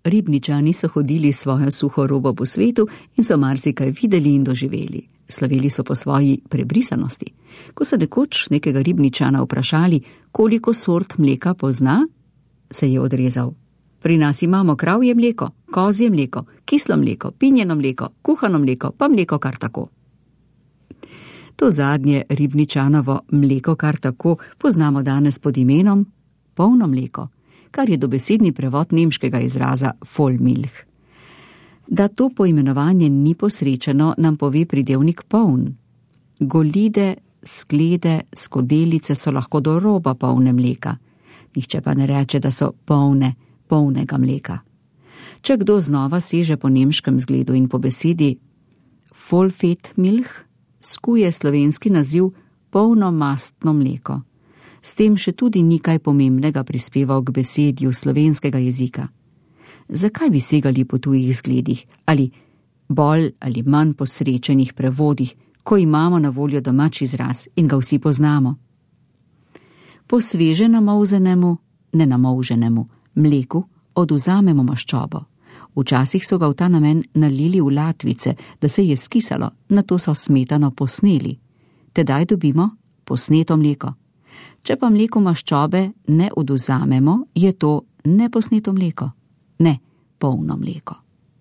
Ribničani so hodili svojo suho robo po svetu in so marsikaj videli in doživeli. Slavili so po svoji prebrisanosti. Ko so nekoč nekega Ribničana vprašali, koliko sort mleka pozna, se je odrezal. Pri nas imamo kravje mleko, kozje mleko, kislo mleko, pinjeno mleko, kuhano mleko, pa mleko kar tako. To zadnje Ribničanovo mleko kar tako poznamo danes pod imenom polno mleko, kar je dobesedni prevod nemškega izraza Vollmilch. Da to poimenovanje ni posrečeno, nam pove pridevnik poln. Golide, sklede, skodelice so lahko do roba polne mleka. Nihče pa ne reče, da so polnega mleka. Če kdo znova seže po nemškem zgledu in po besedi Vollfettmilch, skuje slovenski naziv polnomastno mleko. S tem še tudi ni kaj pomembnega prispeval k besedju slovenskega jezika. Zakaj bi segali po tujih zgledih ali bolj ali manj posrečenih prevodih, ko imamo na voljo domač izraz in ga vsi poznamo? Po sveže namolzenemu, nenamolženemu mleku odvzamemo maščobo. Včasih so ga v ta namen nalili v latvice, da se je skisalo, nato so smetano posneli. Tedaj dobimo posneto mleko. Če pa mleku maščobe ne odvzamemo, je to neposneto mleko, ne polno mleko.